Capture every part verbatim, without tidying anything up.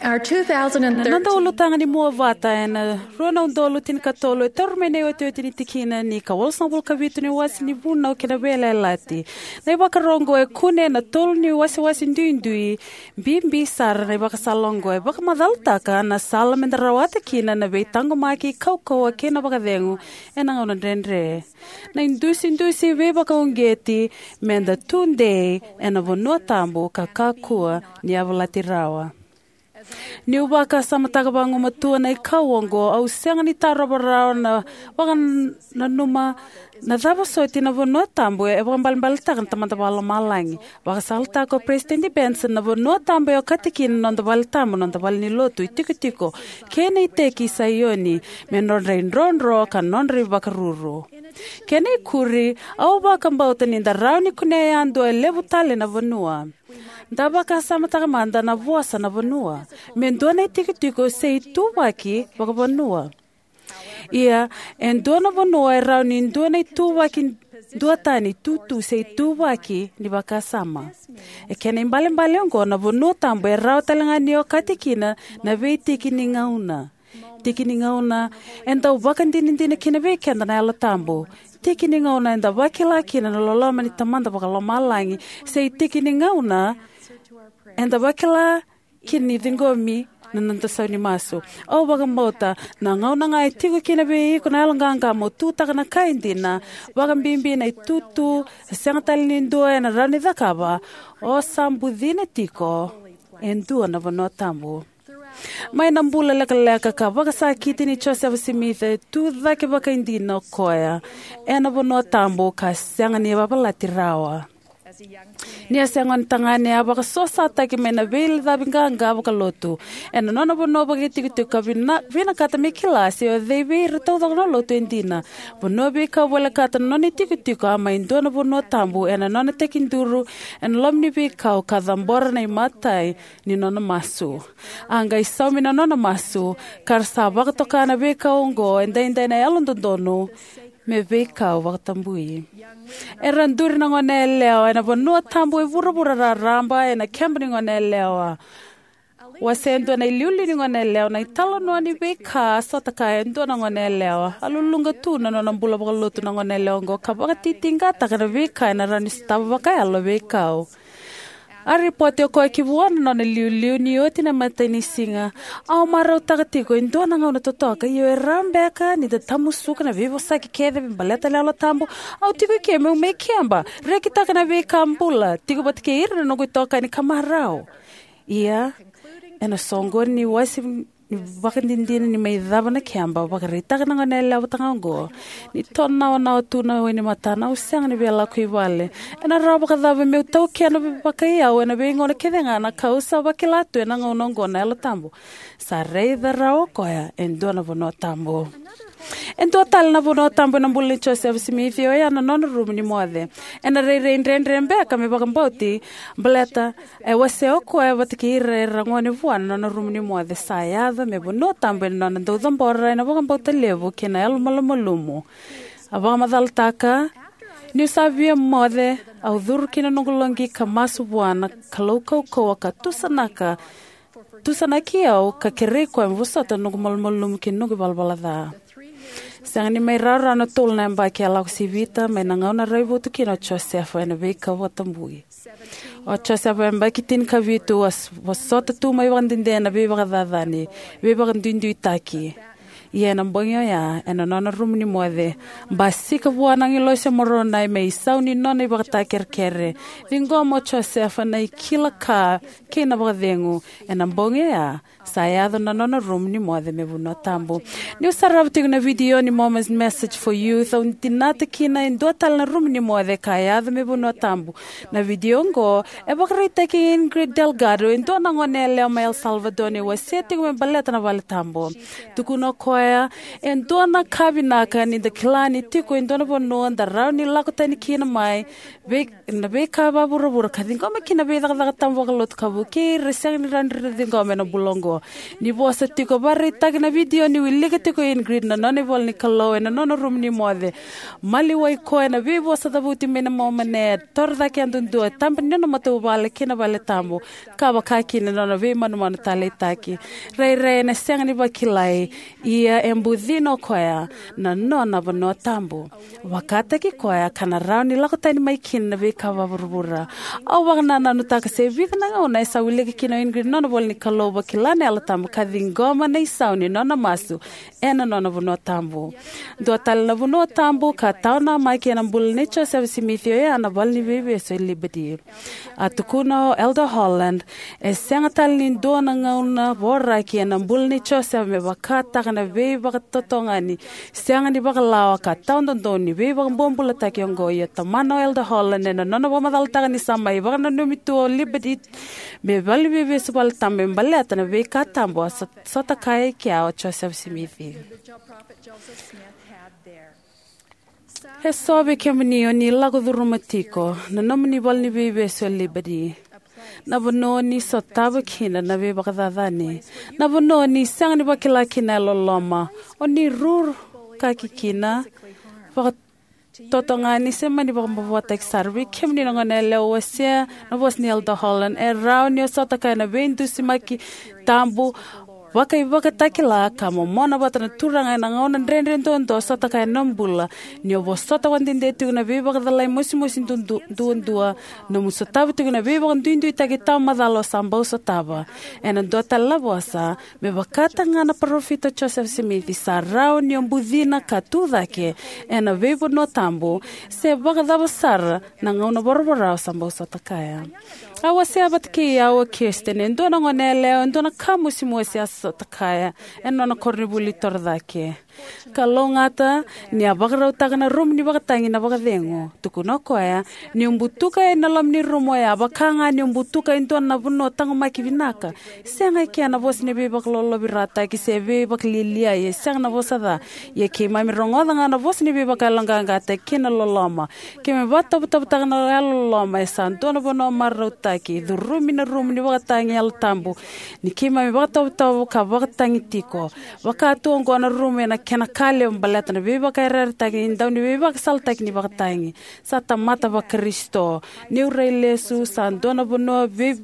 Our Na noda two thousand thirteen ulutaga ni mua vata ena rua na udolu tinikatolu e tauri mai na iotioti ni tikina ni ka walusagavulu ka vitu ni wase ni Vunau kei na Veiyalayalati. Na ivakaro oqo e kune ena tolu ni wasewase duidui. Bibi sara na ivakasala oqo e vakamacalataka na sala meda rawata kina na veitaqomaki, kaukauwa kei na vakacegu ena gauna dredre. Na idusidusi veivakauqeti meda tudei ena vanua tabu ka kakua ni yavalati rawa. Niu vakasamataka vagumatua na ikau oqo, au sega ni tarova rawa na vakananuma na cava soti na vanua tabu e vakaibalebaletaka na Tamada Vakalomalagi. Vakasalataka o Peresitedi Benson, na vanua tabu e okati kina na noda vale tabu, noda vale ni lotu, itikotiko, kei na iteki i Saioni, me nodra idrodro ka nodra ivakaruru. Kena ikuri, au vakabauta ni da rawa ni kunea yadua e levu tale na vanua. Da vakasamataka mada na vosa na vanua me dua na itikotiko se ituvaki vakavanua. Ia, e dua na vanua e rawa ni dua na ituvaki duatani, tutu se ituvaki ni vakasama. E kena ibalebale oqo, na vanua tabu e rawa talega ni okati kina na veitiki ni gauna. Tiki ni gauna e dau vakadinadina kina vei keda na Yalo Tabu. Tiki ni gauna eda vakila kina na loloma ni Tamada Vakalomalagi, se tiki ni gauna eda vakila kina ni ciqomi na noda sau ni masu. Au vakabauta na gauna ga e tiko kina vei iko na yaloqaqa mo tutaka na ka e dina, vakabibi na itutu e sega tale ni dua ena rawa ni cakava, o sa bucina tiko e dua na vanua tabu. Mai na bula lekaleka ka vakasakiti ni Josefa Simici, e tu cake vakaidina o koya ena vanua tabu ka sega ni yavalati rawa. Ni a se gone tagane, a vakasosataki mai na veilacavi qaqa vakalotu ena nona vanua vakaitikotiko ka vina-, vinakata me kila se o cei vei ira taucoko na lotu e dina. Vanua veikau volekata na nona itikotiko, a mai dua na vanua tabu ena nona tekiduru ena loma ni veikau ka cabora na imatai ni nona masu. A qai saumi na nona masu, ka ra sa vakatoka na veikau oqo edaidai na Yalododonu me veikau vakatabui. Era duri na goneyalewa ena vanua tabu e vuravura raraba ena keba ni goneyalewa. Wasea e dua na iliuliu ni goneyalewa na italanoa ni veika a sota kaya e dua na goneyalewa. A luluqa tu na nona bula vakalotu na goneyalewa oqo ka vakatitiqataka na veika ena rawa ni sotava vakayalo e veikau. A ripoti o koya ki vua na nona iliuliu ni oti na imatai ni siga: "Au marautaka tiko e dua na gauna totoka, ia e rawa beka ni da tamusuka na veivosaki kece me baleta na Yalo Tabu? Au tiko eke meu mai keba, rekitaka na veika bula, tiko vata kei ira na noqu itokani ka marau." Ia, ena soqoni ni wasi ni vakadinadina ni mai cava na keba, vakaraitaka na goneyalewa vata ga oqo: "Ni tonawanawa tu na wainimatana, au sega ni via lako i vale. Ena rawa vakacava meu taukena vakaiyau ena veigauna kece ga na ka au sa vakila tu ena gauna oqo na Yalo Tabu?" Sa raica rawa o koya e dua na vanua tabu. E dua tale na vanua tabu ena bula nei Josefa Simici, oya na nona rumu ni moce. Ena rairai dredre beka me vakabauti, baleta e wasea o koya vata kei ira era gone vua na nona rumu ni moce. Sa yaco me vanua tabu ena nona dau cabora ena vakabauta levu kei na yalomalumalumu. A vakamacalataka: "Niu sa via moce, au curu ki na noqu loqi ka masu vua na Kalou kaukauwa ka tusanaka, tusanaki au ka kerei koya me vosota na noqu malumalumu kei na noqu ivalavala ca." Sega ni mai rawarawa na tolu na yabaki a lako sivita mai na gauna a raivotu kina o Josefa ena veikau vakatabui. O Josefa, yabaki tinikavitu, a s-, vosota tu mai vakadede na veivakacacani, veivakaduiduitaki. Ia ena bogi oya, ena nona rumu ni moce, basika vua na agilosi o Moronai me isau ni nona ivakatakekere. Ciqoma o Josefa na ikila ka kei na vakacegu. Ena bogi oya, sa yaco na nona rumu ni moce me vanua tabu. Niu sarava tiko na vidio ni Mormon Message for Youth, au dinata kina e dua tale na rumu ni moce ka yaco me vanua tabu. Na vidio oqo e vakaraitaki Ingrid Delgado, e dua na goneyalewa mai El Salvador, ni wasea tiko me baleta na vale tabu. Tukuna o koya Ia, e dua na ka vinaka ni da kila ni tiko e dua na vanua da rawa ni lako tani kina mai vei, na veika vavuravura ka ciqoma kina veicakacaka tabu vakalotu ka vukei ira e sega ni rawa ni ra ciqoma ena bula oqo. Ni vosa tiko, vakaraitaka na vidio ni wilika tiko o Ingrid na nona ivola ni Kalou ena nona rumu ni moce. Maliwai koya na veivosa cavuti mai na Momani, torocake yadudua, tabe ni nona matavuvale kei na vale tabu, ka vaka kina na nona veimanumanu taleitaki. Rairai ena sega ni vakilai, ia e bucina o koya na nona vanua tabu. Vakataki koya ka na rawa ni lako tani mai kina na veika vavuravura. Au vakanananutaka se vica na gauna e sa wilika kina o Ingrid na nona ivola ni Kalou, vakila na Yalo Tabu ka ciqoma na isau ni nona masu ena nona vanua tabu. Dua tale na vanua tabu ka tawa namaki ena bula nei Josefa Simici oya na Valeniveivesu e Liberty. A tukuna o Elder Holland, e sega tale ni dua na gauna voraki ena bula nei Josefa me vakataka na veivakatotogani sega ni vakalawa ka tawadodonu ni veivakabobulataki oqo. Ia tomana o Elder Holland ena nona vakamacalataka ni sa mai vakananumi tu o Liberty me valeniveivesu vale tabu me baleta na veika tabu a so-, sotakaya e kea o Josefa Simici. E so vei kemuni o ni lako curuma tiko na nomuni Valeniveivesu e Liberty, na vanua ni sotava kina na veivakacacani, na vanua ni sega ni vakila kina e loloma, o ni ruru kaki kina vakatotogani se mani vakamavoataki sara. Vei kemuni na goneyalewa, wasea na vosa ni Elder Holland. E rawa ni o sotakaya na veidusimaki tabu vakaivakatakila ka momona vata na Turaga ena gauna dredre duadua, sotakaya na bula ni o vosota vakadede tiko na veivakacalai mosimosi dudu-, duadua, nomu sotava tiko na veivakaduiduitaki tawamacala o sa bau sotava. Ena dua tale na vosa, me vakataka ga na parofita o Josefa Simici, sa rawa ni o bucina ka tucake ena veivanua tabu, se vakacava sara na gauna voravora o sa bau sotakaya. A wasea vata kei au o Kirsten, e dua na goneyalewa, e dua na ka mosimosi a sotakaya ena nona koronivuli torocake. Kalougata ni a vakarautaka na rumu ni vakatagi na vakacegu. Tukuna o koya, ni o butuka ena loma ni rumu oya, vaka ga ni o butuka e dua na vanua taqomaki vinaka. Sega e kea na vosa ni veivakalolovirataki se veivakalialiai, e sega na vosa ca. Ia keimami rogoca ga na vosa ni veivakayaloqaqataki kei na loloma. Keimami vakatovotovotaka na yalololoma, e sa dua na vanua marautaki. Curumi na rumu ni vakatagi Yalo Tabu ni keimami vakatovotovo ka vakatagi tiko. Vaka tu oqo na rumu ena kena ka levu baleta na veivakayarayarataki ni dau ni veivakasalataki ni vakatagi. Sa tamata vaKarisito. Niu rai lesu, sa dua na vanua vei-,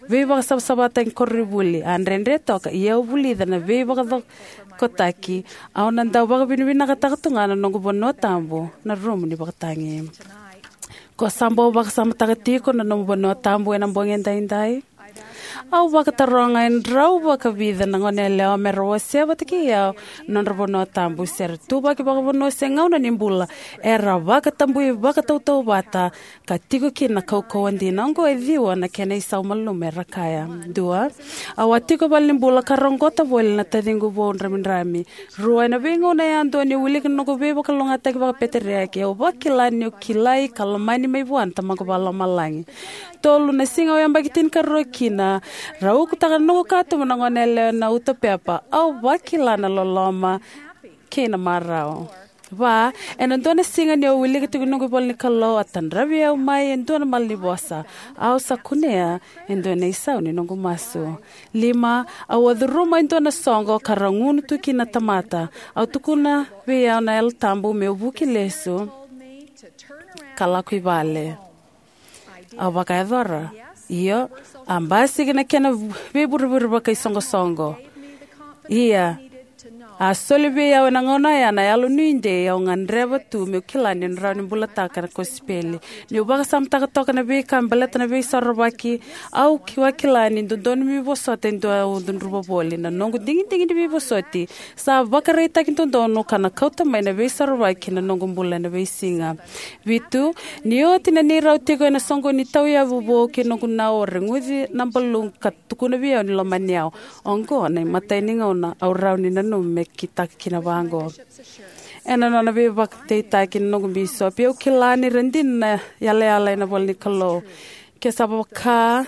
veivakasavasavataki koronivuli. A dredre toka, ia au vulica na veivakacokotaki. Au na dau vakavinavinakataka tu ga na noqu vanua tabu, na rumu ni vakatagi. Ko sa bau vakasamataka tiko na nomu vanua tabu ena bogi edaidai? Au vakataroga e drau vakavica na goneyalewa me ra wasea vata kei au na nodra vanua tabu, se ra tuvaki vakavanua se gauna ni bula. Era vakatabui vakatautauvata ka tiko kina na kaukauwa dina. Oqo e ciwa na kena isau malumu, era kaya. Dua, au a tiko valenibula ka roqota voli na taciqu vou dramidrami. Rua, ena veigauna yadua niu wilika na noqu veivakalougatataki vakapeteriaki, au vakila niu kilai ka lomani mai vua na Tamaqu Vakalomalagi. Tolu, na siga au yabaki tinikarua kina, rau ukutaka na noqu katuba na goneyalewa ena uto pepa. Au vakila na loloma kei na marau. Va, ena dua na siga niu wilika tiko na noqu ivola ni Kalou, a tadravi au mai e dua na malanivosa. Au sa kunea e dua na isau ni noqu masu. Lima, au a curuma e dua na soqo ka ra gunu tu kina na tamata. Au tukuna vei au na Yalo Tabu meu vuki lesu ka lako i vale. Au vakayacora. Io, a basika na kena veivurevure vakaisoqosoqo. Ia, a soli vei au ena gauna oya na yalonuidei au gadreva tu meu kila niu na rawa ni bulataka na kosipeli. Niu vakasamataka toka na veika me baleta na Veisorovaki, au ki-, vakila ni dodonu meu vosota e dua au cudruva voli. Na noqu digidigi ni veivosoti sa vakaraitaki dodonu ka na kauta mai na Veisorovaki ki na noqu bula ena veisiga. Vitu, ni oti na neirau tiko ena soqoni ni tauyavu vou kei noqu nau, au reguci na baluqu ka tukuna vei au ni lomani au. Oqo na imatai ni gauna au rawa ni nanuma me kitaka kina vaqo. Ena nona veivakadeitaki na noqu bisopi, au kila ni ra dina na yalayala ena ivola ni Kalou. Ke sa vaka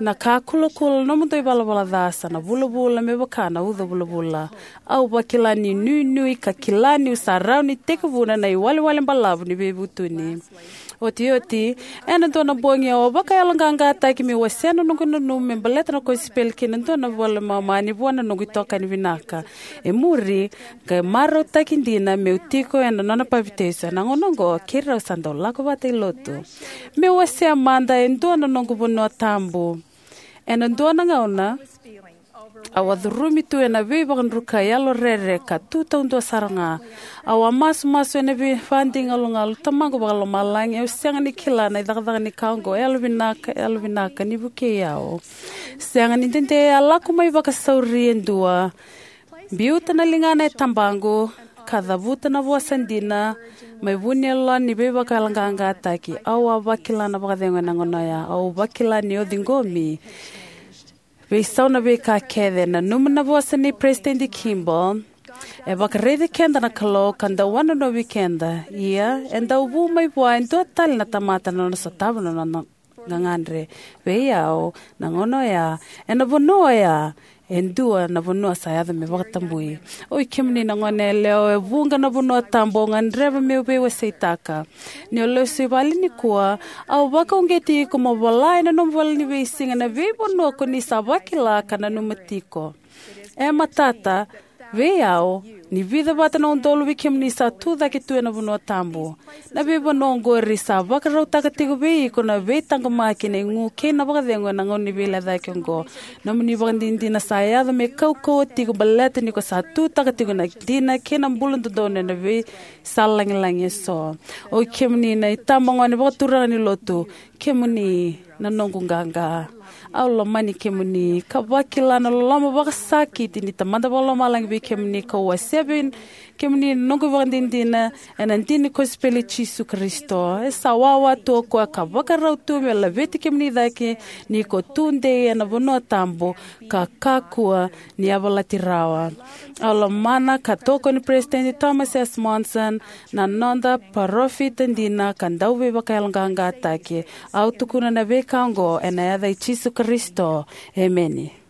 Na ka kulakula na nomudou ivalavala ca sa na vulavula me vaka na uca vulavula. Au vakila ni nuinui ka kila niu sa rawa ni tekivuna na iwalewale balavu ni veivutuni. Otioti, ena dua na bogi au a vakayaloqaqataki meu wasea na noqu nanuma me baleta na kosipeli kei na dua na iVola i Momani vua na noqu itokani vinaka. E muri, qai marautaki dina meu tiko ena nona papitaiso. Ena gauna oqo keirau sa dau lako vata i lotu. Meu wasea mada e dua na noqu vanua tabu. Ena dua na gauna au a curumi tu ena veivakadrukai, yalorere, ka tu taudua sara ga. Au a masumasu ena veivakadigalugalu, Tamaqu Vakalomalagi, au sega ni kila na icakacaka ni ka oqo. Yalovinaka, yalovinaka ni vukei au. Sega ni dede, a lako mai vakasauri e dua. Biuta na ligana e tabaqu ka cavuta na vosa dina mai vu ni yaloyalo ni veivakayaloqaqataki. Au a vakila na vakacegu ena gauna oya. Au vakila ni o ciqomi. Veisau na veika kece. Nanuma na vosa nei Peresitedi Kimball: E vakaraici keda na Kalou ka dau wanonovi keda. Ia, e dau vu mai vua e dua tale na tamata na nona sotava na nona gagadre. Vei au, na gauna oya, ena vanua oya, e dua na vanua sa yaco me vakatabui. Oi kemuni na goneyalewa, e vuqa na vanua tabu au gadreva meu veiwaseitaka. Ni o lesu i vale nikua, au vakauqeti iko mo vola ena nomu ivolaniveisigana na veivanua ko ni sa vakila ka nanuma tiko. E matata vei au ni vica vata na udolu vei kemuni sa tucake tu ena vanua tabu. Na veivanua oqori sa vakarautaka tiko vei iko na veitaqomaki, na igu kei na vakacegu ena gauna ni veilecayaki oqo. Nomuni ivakadinadina sa yaco me kaukauwa tiko baleta ni ko sa tutaka tiko na dina kei na bula dodonu ena veisala lagilagi eso. Oi kemuni na itabagone vakaturaga ni lotu, kemuni na noqu qaqa. Au lomani kemuni ka vakila na loloma vakasakiti ni Tamada Vakalomalagi vei kemuni, kau wasea vei kemuni na noqu ivakadinadina ena dina ni kosipeli i Jisu Karisito. E sa wawa tu o koya ka vakarau tu me laveti kemuni cake ni ko tudei ena vanua tabu ka kakua ni yavalati rawa. Au lomana ka tokoni Peresitedi Thomas S. Monson, na noda parofita dina ka dauveivakayaloqaqataki. Au tukuna na veika oqo ena yaca i Jisu Karisito. Emeni.